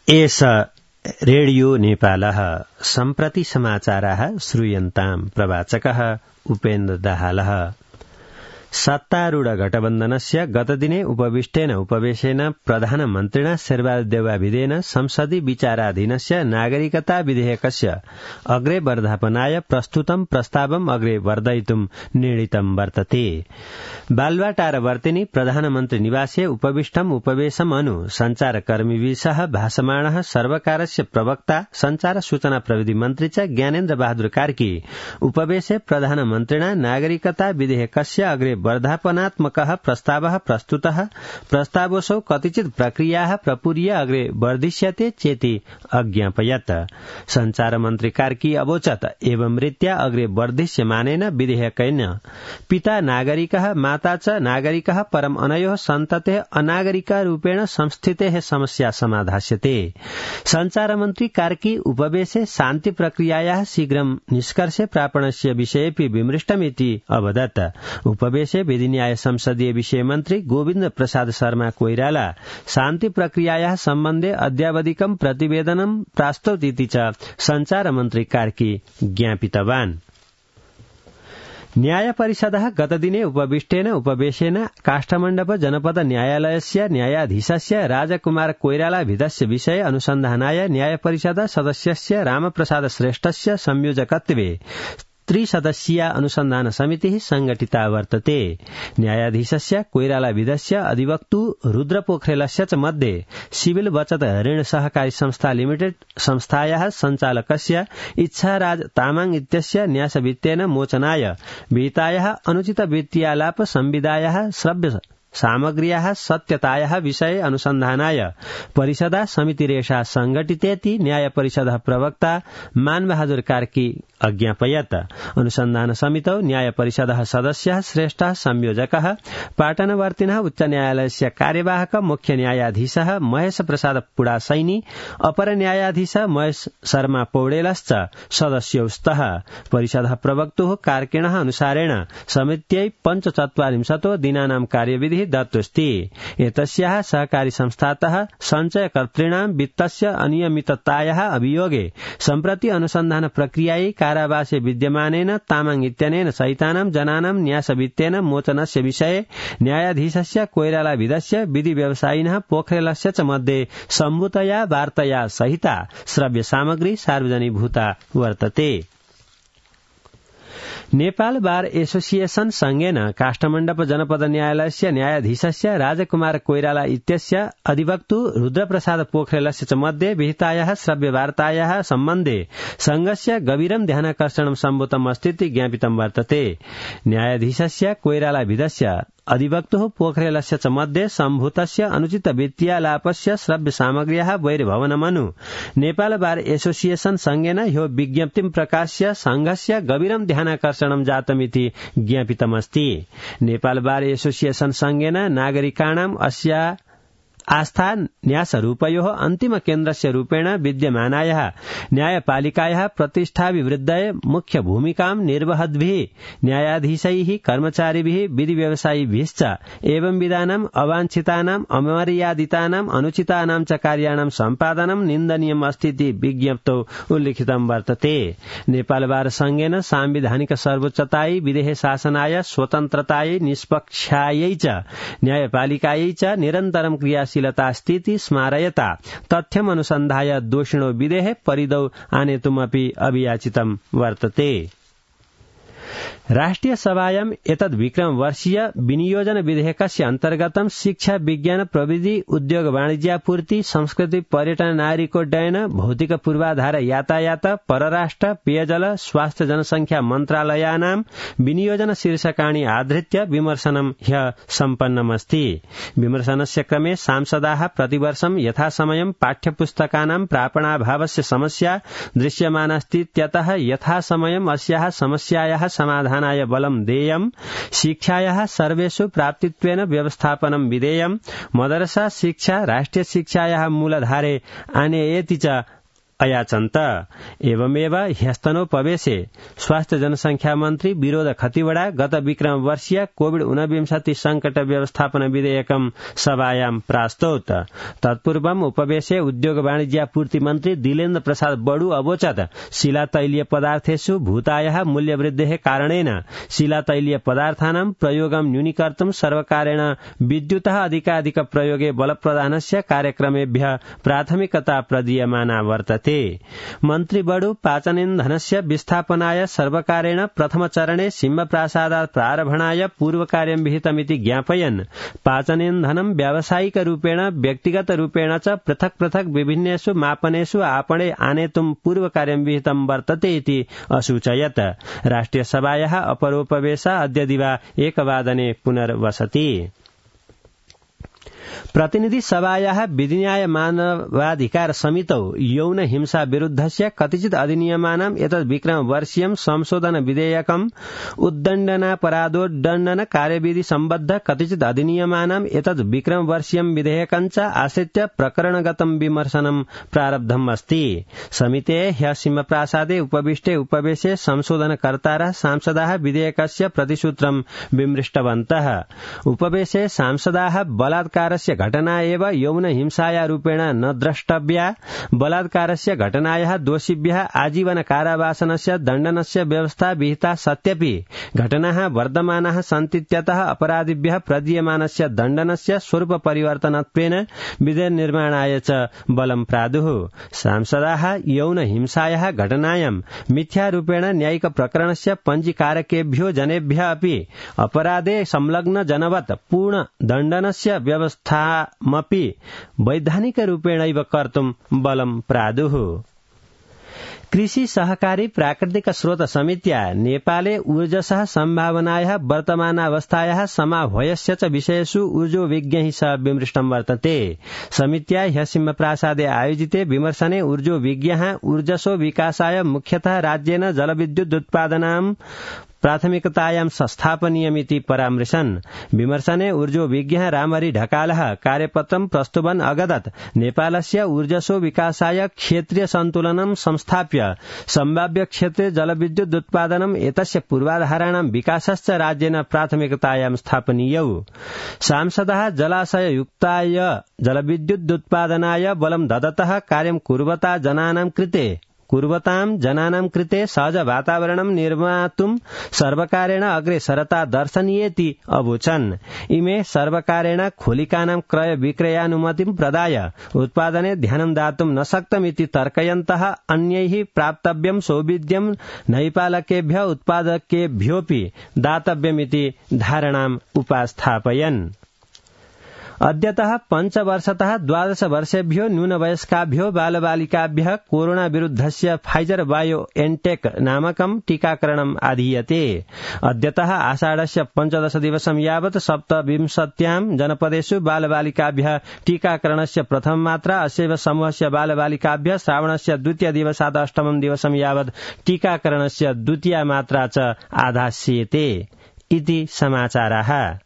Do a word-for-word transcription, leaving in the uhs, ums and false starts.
एष रेडियो नेपालः सम्प्रति समाचाराः श्रूयन्ताम् प्रवाचकः उपेन्द्र दाहालः। सत्तारूढ गठबन्धनस्य गतदिने उपविष्टेन उपवेशेन प्रधानमन्त्रिणा शेरबहादुर देउवाभिधेन संसदि विचाराधीनस्य नागरिकता विधेयकस्य अग्रे वर्धापनाय प्रस्तुतं प्रस्तावम् अग्रे वर्धयितुं निर्णीतं वर्तते। बालुवाटारवर्तिनि प्रधानमन्त्री निवासे उपविष्टम् उपवेशम् अनु सञ्चारकर्मिभिः सह भाषमाणः सर्वकारस्य प्रवक्ता संचार सूचना प्रविधि मन्त्री च ज्ञानेन्द्र बहादुर कार्की उपवेशे प्रधानमन्त्रिणा नागरिकता विधेयकस्य अग्रे वर्धापनात्मकः प्रस्तावः प्रस्तुतः। प्रस्तावोऽसौ कतिचित् प्रक्रियाः प्रपूर्य अग्रे वर्धिष्यते चेति अज्ञापयत्। संचार मन्त्री कार्की अवोचत् एवं रीत्या अग्रे वर्धिष्यमानेन विधेयकेन पिता नागरिकः माता च नागरिकः परम् अनयोः सन्ततेः अनागरिकरूपेण संस्थितेः समस्या समाधास्यते। संचार मन्त्री कार्की उपवेशे शान्ति प्रक्रियायाः शीघ्रं निष्कर्षे प्रापणस्य विषयेऽपि विमृष्टमिति अवदत्। उपवेशे विधि न्याय संसदीय विषय मन्त्री गोविन्द प्रसाद शर्मा कोइराला शान्ति प्रक्रियायाः सम्बन्धे अद्यावधिकं प्रतिवेदनं प्रास्तौतीति च संचार मन्त्री कार्की ज्ञापितवान्। न्याय परिषदः गतदिने उपविष्टेन उपवेशेन काष्ठमण्डप जनपद न्यायालयस्य न्यायाधीशस्य राजकुमार कोइरालाभिधस्य विषये अनुसन्धानाय न्याय परिषद सदस्यस्य रामप्रसाद श्रेष्ठस्य संयोजकत्वे त्रिसदस्यीया अनुसन्धान समितिः संगठिता वर्तते। न्यायाधीशस्य कोइरालाभिधस्य अधिवक्तु रुद्र पोखरेलस्य च मध्ये सिविल बचत ऋण सहकारी संस्था लिमिटेड संस्थायाः सञ्चालकस्य इच्छाराज तामाङ इत्यस्य न्यासवित्तेन मोचनाय विहितायाः अनुचित वित्तीयालाप संविदायाः श्रव्य सामग्र्याः सत्यतायाः विषये अनुसन्धानाय परिषदा समितिरेषा संघटितेति न्याय परिषदः प्रवक्ता मानबहादुर कार्की अज्ञापयत्। अनुसन्धान समितौ न्याय परिषदः सदस्यः श्रेष्ठः संयोजकः पाटनवर्तिनः उच्च न्यायालयस्य कार्यवाहक मुख्य न्यायाधीशः महेश प्रसाद पुडासैनी अपर न्यायाधीश महेश शर्मा पौडेलश्च सदस्यौ स्तः। परिषदः प्रवक्तुः कार्किणः अनुसारेण समित्यै पञ्चचत्वारिंशतो दिनानां कार्यविधिः दत्तोऽस्ति। एतस्याः सहकारी संस्थातः सञ्चयकर्तॄणां वित्तस्य अनियमिततायाः अभियोगे सम्प्रति अनुसन्धान प्रक्रियायै कारावासे विद्यमानेन तामाङ इत्यनेन सहितानां जनानां न्यासवित्तेन मोचनस्य विषये न्यायाधीशस्य कोइरालाभिधस्य विधि व्यवसायिनः पोखरेलस्य च मध्ये सम्भूतया वार्तया सहिता श्रव्य सामग्री सार्वजनीभूता वर्तते। नेपाल बार एसोसिएशन संघेन काष्ठमण्डप जनपद न्यायालयस्य न्यायाधीशस्य राजकुमार कोइराला इत्यस्य अधिवक्तु रुद्रप्रसाद पोखरेलस्य च मध्ये विहितायाः श्रव्यवार्तायाः सम्बन्धे संघस्य गभीरं ध्यानाकर्षणं सम्भूतम् अस्तीति ज्ञापितं वर्तते। न्यायाधीशस्य कोइरालाभिधस्य अधिवक्तुः पोखरेलस्य च मध्ये सम्भूतस्य अनुचित वित्तीयालापस्य श्रव्य सामग्र्याः वैरभवनमनु नेपाल बार एसोसिएशन संघेन ह्यो विज्ञप्तिं प्रकाश्य संघस्य गभीरं ध्यानाकर्षणं जातमिति ज्ञापितमस्ति। नेपाल बार एसोसिएशन संघेन नागरिकाणाम् अस्या आस्था न्यासरूपयोः अन्तिम केन्द्रस्य रूपेण विद्यमानायाः न्यायपालिकायाः प्रतिष्ठाभिवृद्धये मुख्य भूमिकां निर्वहद्भिः न्यायाधीशैः कर्मचारिभिः विधि व्यवसायिभिश्च एवं विधानाम् अवाञ्छितानाम् अमर्यादितानाम् अनुचितानां च कार्याणां सम्पादनं निन्दनीयम् अस्तीति विज्ञप्तौ उल्लिखितं वर्तते। नेपाल बार संघेन सांविधानिक सर्वोच्चतायै विधेः शासनाय स्वतन्त्रतायै निष्पक्षायै च न्यायपालिकायै च निरन्तरं क्रिया स्थिति स्मारयता तथ्यम अनुसन्धाय दोषिणो विधेः परिदौ आनेतुमपि अभियाचितं वर्तते। राष्ट्रिय सभायाम् एतद् विक्रम वर्षीय विनियोजन विधेयकस्य अन्तर्गतं शिक्षा विज्ञान प्रविधि उद्योग वाणिज्यापूर्ति संस्कृति पर्यटन नागरिकोड्डयन भौतिक पूर्वाधार यातायात परराष्ट्र पेयजल स्वास्थ्य जनसंख्या मन्त्रालयानां विनियोजन शीर्षकाणि आधृत्य विमर्शनं ह्यः सम्पन्नमस्ति। विमर्शनस्य क्रमे सांसदाः प्रतिवर्षं यथासमयं पाठ्यपुस्तकानां प्रापणाभावस्य समस्या दृश्यमानास्तीत्यतः यथासमयम् अस्याः समस्यायाः समाधानाय बलं देयम्, शिक्षायाः सर्वेषु प्राप्तित्वेन व्यवस्थापनं विधेयम्, मदरसा शिक्षा राष्ट्रिय शिक्षायाः मूलधारे आनेयेति च अयाचन्त। एवमेव ह्यस्तनोपवेशे स्वास्थ्य जनसंख्या मन्त्री विरोध खतिवड़ा गत विक्रम वर्षीय कोविड ऊनविंशति संकट व्यवस्थापन विधेयकं सभायां प्रास्तौत। तत्पूर्वम् उपवेशे उद्योग वाणिज्यापूर्ति मन्त्री दिलेन्द्र प्रसाद बडू अवोचत् शिलातैलीय पदार्थेषु भूतायाः मूल्यवृद्धेः कारणेन शिलातैलीय पदार्थानां प्रयोगं न्यूनीकर्तुं सर्वकारेण विद्युतः अधिकाधिक प्रयोगे बलप्रदानस्य कार्यक्रमेभ्यः प्राथमिकता प्रदीयमाना वर्तते। मन्त्री बडू पाचनेन्धनस्य विस्थापनाय सर्वकारेण प्रथमचरणे सिंहप्रासादात् प्रारभणाय पूर्वकार्यं विहितमिति ज्ञापयन् पाचनेन्धनं व्यावसायिकरूपेण व्यक्तिगतरूपेण च पृथक् पृथक् विभिन्नेषु मापनेषु आपणे आनेतुं पूर्वकार्यं विहितं वर्तते इति असूचयत्। राष्ट्रियसभायाः अपरोपवेशः अद्य दिवा एकवादने पुनर्वसति। प्रतिनिधि सभायाः विधिन्याय मानवाधिकार समितौ यौन हिंसा विरुद्धस्य कतिचित् अधिनियमानाम् एतद् विक्रम वर्षीयं संशोधन विधेयकम् उद्दण्डनापराधोद्दण्डन कार्यविधि सम्बद्ध कतिचित् अधिनियमानाम् एतद् विक्रम वर्षीयं विधेयकं च आश्रित्य प्रकरणगतं विमर्शनं प्रारब्धम् अस्ति। समितेः ह्यः सिंहप्रासादे उपविष्टे उपवेशे संशोधनकर्तारः सांसदाः विधेयकस्य प्रतिसूत्रं विमृष्टवन्तः। उपवेशे सांसदाः बलात्कारस्य घटना एव यौन हिंसाया रूपेण न द्रष्टव्या, बलात्कारस्य घटनायाः दोषिभ्यः आजीवन कारावासनस्य दण्डनस्य व्यवस्था विहिता सत्यपि घटनाः वर्धमानाः सन्तीत्यतः अपराधिभ्यः प्रदीयमानस्य दण्डनस्य स्वरूप परिवर्तनत्वेन विधिनिर्माणाय च बलं प्रादुः। सांसदाः यौन हिंसायाः घटनायां मिथ्यारूपेण न्यायिक प्रकरणस्य पञ्जीकारकेभ्यो जनेभ्यः अपि अपराधे संलग्न जनवत् पूर्ण दण्डनस्य व्यवस्थामपि वैधानिकरूपेणैव कर्तुं बलं प्रादुः। कृषि सहकारी प्राकृतिक स्रोत समित्या नेपाले ऊर्जसः सम्भावनायाः वर्तमानावस्थायाः समाह्वयस्य च विषयेषु ऊर्जो विज्ञैः सह विमृष्टं वर्तते। समित्या ह्यः सिंहप्रासादे आयोजिते विमर्शने ऊर्जो विज्ञः ऊर्जसो विकासाय मुख्यतः राज्येन जलविद्युदुत्पादनां प्राथमिकतायां संस्थापनीयमिति परामृशन्। विमर्शने ऊर्जो विज्ञः रामहरि ढकालः कार्यपत्रं प्रस्तुवन् अगदत् नेपालस्य ऊर्जसो विकासाय क्षेत्रीय सन्तुलनं संस्थाप्य सम्भाव्य क्षेत्रे जलविद्युदुत्पादनम् एतस्य पूर्वाधाराणां विकासश्च राज्येन प्राथमिकतायां स्थापनीयौ। सांसदः जलाशययुक्ताय जलविद्युदुत्पादनाय बलं ददतः कार्यं कुर्वता जनानां कृते कुर्वतां जनानां कृते सहज वातावरणं निर्मातुं सर्वकारेण अग्रे सरता दर्शनीयेति अवोचन्। इमे सर्वकारेण खोलिकानां क्रय विक्रयानुमतिं प्रदाय उत्पादने ध्यानं दातुं न शक्तमिति तर्कयन्तः अन्यैः प्राप्तव्यं सौविध्यं नैपालकेभ्यः उत्पादकेभ्योऽपि दातव्यमिति धारणाम् उपास्थापयन्। अद्यतः पञ्चवर्षतः द्वादश वर्षेभ्यो न्यूनवयस्काभ्यो बालबालिकाभ्यः कोरोना विरुद्धस्य फाइजर बायो एनटेक नामकं टीकाकरणम् आधीयते। अद्यतः आषाढस्य पञ्चदश दिवसं यावत् सप्तविंशत्यां जनपदेषु बालबालिकाभ्यः टीकाकरणस्य प्रथम मात्रा, अस्यैव समूहस्य बालबालिकाभ्यः श्रावणस्य द्वितीय दिवसात् अष्टमं दिवसं यावत् टीकाकरणस्य द्वितीया मात्रा च आधास्येते इति समाचाराः।